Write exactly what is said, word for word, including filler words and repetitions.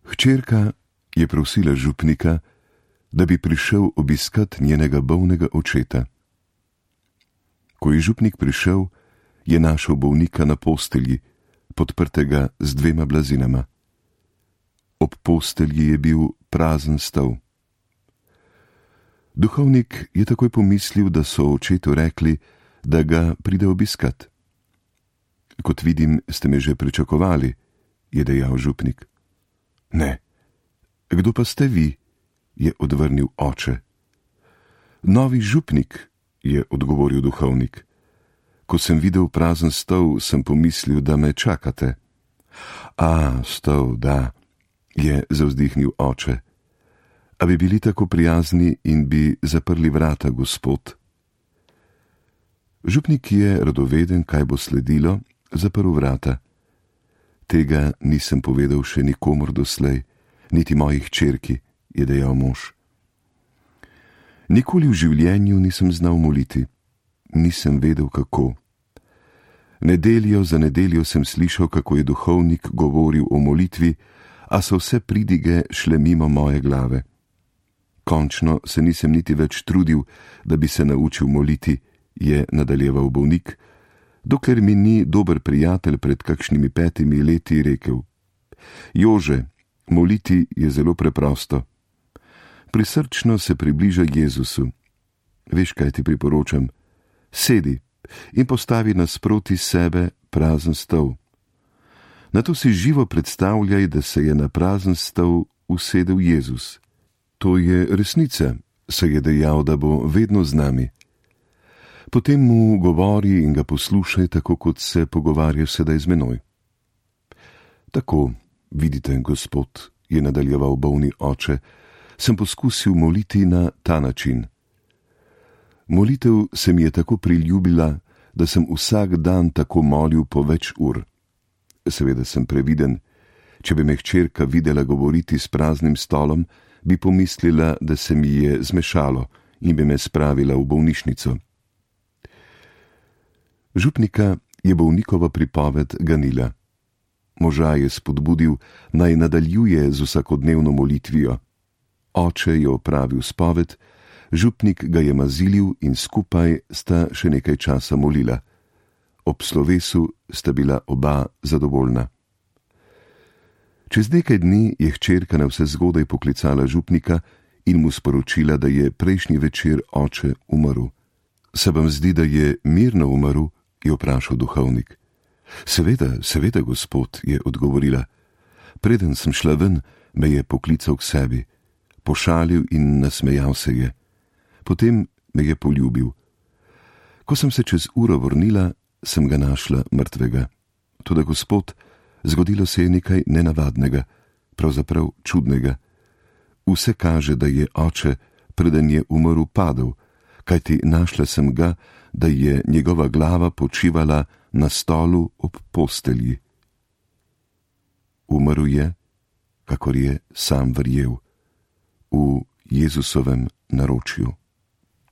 Hčerka je prosila župnika, da bi prišel obiskat njenega bolnega očeta. Ko je župnik prišel, je našel bolnika na postelji, podprtega z dvema blazinama. Ob postelji je bil prazen stol. Duhovnik je takoj pomislil, da so očetu rekli, da ga pride obiskat. Kot vidim, ste me že pričakovali, je dejal župnik. Ne. Kdo pa ste vi? Je odvrnil oče. Novi župnik, je odgovoril duhovnik. Ko sem videl prazen stol, sem pomislil, da me čakate. A, stol, da, je zavzdihnil oče. A bi bili tako prijazni in bi zaprli vrata, gospod? Župnik je radoveden, kaj bo sledilo, zaprl vrata. Tega nisem povedal še nikomur doslej, niti moji hčerki, je dejal mož. Nikoli v življenju nisem znal moliti. Nisem vedel, kako. Nedeljo za nedeljo sem slišal, kako je duhovnik govoril o molitvi, a so vse pridige šle mimo moje glave. Končno se nisem niti več trudil, da bi se naučil moliti, je nadaljeval bolnik, dokler mi ni dober prijatelj pred kakšnimi petimi leti rekel: Jože, moliti je zelo preprosto. Prisrčno se približa Jezusu. Veš, kaj ti priporočam? Sedi in postavi nasproti sebe prazen stol. Nato si živo predstavljaj, da se je na prazen stol usedel Jezus. To je resnica, se je dejal, da bo vedno z nami. Potem mu govori in ga poslušaj, tako kot se pogovarja sedaj z menoj. Tako, vidite, gospod, je nadaljeval bolni oče, sem poskusil moliti na ta način. Molitev se mi je tako priljubila, da sem vsak dan tako molil po več ur. Seveda sem previden. Če bi me hčerka videla govoriti s praznim stolom, bi pomislila, da se mi je zmešalo in bi me spravila v bolnišnico. Župnika je bolnikova pripoved ganila. Moža je spodbudil, naj nadaljuje z vsakodnevno molitvijo. Oče je opravil spoved, župnik ga je mazilil in skupaj sta še nekaj časa molila. Ob slovesu sta bila oba zadovoljna. Čez nekaj dni je hčerka navsezgodaj poklicala župnika in mu sporočila, da je prejšnji večer oče umrl. Se vam zdi, da je mirno umrl? Je vprašal duhovnik. Seveda, seveda, gospod, je odgovorila. Preden sem šla ven, me je poklical k sebi. Pošalil in nasmejal se je. Potem me je poljubil. Ko sem se čez uro vrnila, sem ga našla mrtvega. Toda, gospod, zgodilo se je nekaj nenavadnega, pravzaprav čudnega. Vse kaže, da je oče, preden je umrl, padel, kajti našla sem ga, da je njegova glava počivala na stolu ob postelji. Umrl je, kakor je sam verjel, v Jezusovem naročju.